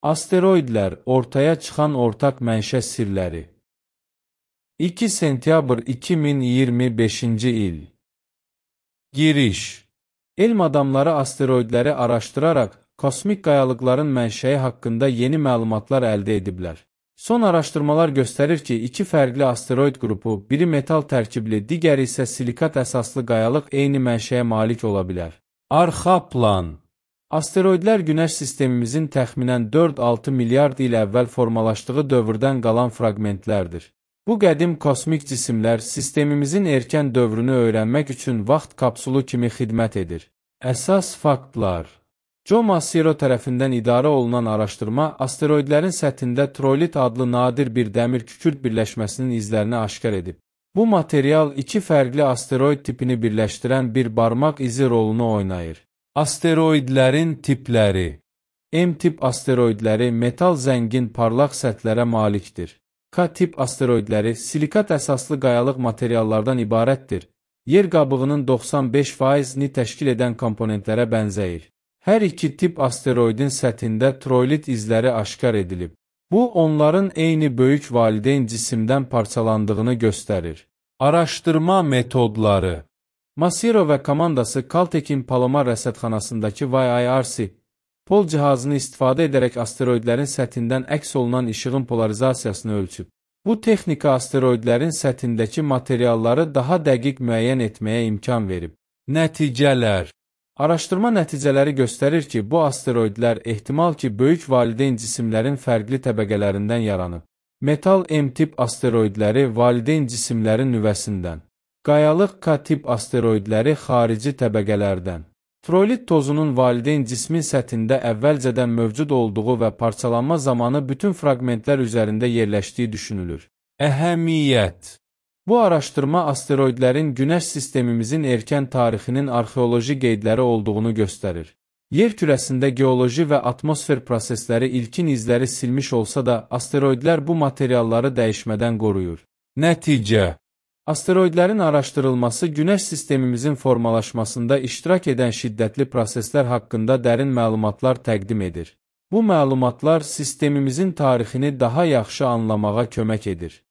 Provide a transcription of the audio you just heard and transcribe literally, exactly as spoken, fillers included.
Asteroidlər ortaya çıxan ortaq mənşə sirləri. iki sentyabr iki min iyirmi beşinci il. Giriş. Elm adamları asteroidləri araşdıraraq kosmik qayalıqların mənşəyi haqqında yeni məlumatlar əldə ediblər. Son araşdırmalar göstərir ki, iki fərqli asteroid qrupu, biri metal tərkibli, digəri isə silikat əsaslı qayalıq eyni mənşəyə malik ola bilər. Arxa plan. Asteroidlər Günəş sistemimizin təxminən dörd altı milyard il əvvəl formalaşdığı dövrdən qalan fraqmentlərdir. Bu qədim kosmik cisimlər sistemimizin erkən dövrünü öyrənmək üçün vaxt kapsulu kimi xidmət edir. Əsas faktlar. Joe Massaro tərəfindən idarə olunan araşdırma asteroidlərin səthində trolit adlı nadir bir dəmir kükürt birləşməsinin izlərini aşkar edib. Bu material iki fərqli asteroid tipini birləşdirən bir barmaq izi rolunu oynayır. Asteroidlərin tipləri. M-tip asteroidləri metal zəngin parlaq səthlərə malikdir. K-tip asteroidləri silikat əsaslı qayalıq materiallardan ibarətdir. Yer qabığının doxsan beş faizini təşkil edən komponentlərə bənzəyir. Hər iki tip asteroidin səthində trolit izləri aşkar edilib. Bu, onların eyni böyük valideyn cisimdən parçalandığını göstərir. Araşdırma metodları. Massaro və komandası Caltech'in Palomar rəsədxanasındakı Y I R C pol cihazını istifadə edərək asteroidlərin səthindən əks olunan işığın polarizasiyasını ölçüb. Bu texnika asteroidlərin səthindəki materialları daha dəqiq müəyyən etməyə imkan verib. Nəticələr. Araşdırma nəticələri göstərir ki, bu asteroidlər ehtimal ki, böyük valideyn cisimlərin fərqli təbəqələrindən yaranıb. Metal M-tip asteroidləri valideyn cisimlərin nüvəsindən. Qayalıq K-tip asteroidləri xarici təbəqələrdən. Trolit tozunun valideyn cismin səthində əvvəlcədən mövcud olduğu və parçalanma zamanı bütün fraqmentlər üzərində yerləşdiyi düşünülür. Əhəmiyyət. Bu araşdırma asteroidlərin Günəş sistemimizin erkən tarixinin arxeoloji qeydləri olduğunu göstərir. Yer kürəsində geoloji və atmosfer prosesləri ilkin izləri silmiş olsa da, asteroidlər bu materialları dəyişmədən qoruyur. Nəticə. Asteroidlərin araşdırılması Günəş sistemimizin formalaşmasında iştirak edən şiddətli proseslər haqqında dərin məlumatlar təqdim edir. Bu məlumatlar sistemimizin tarixini daha yaxşı anlamağa kömək edir.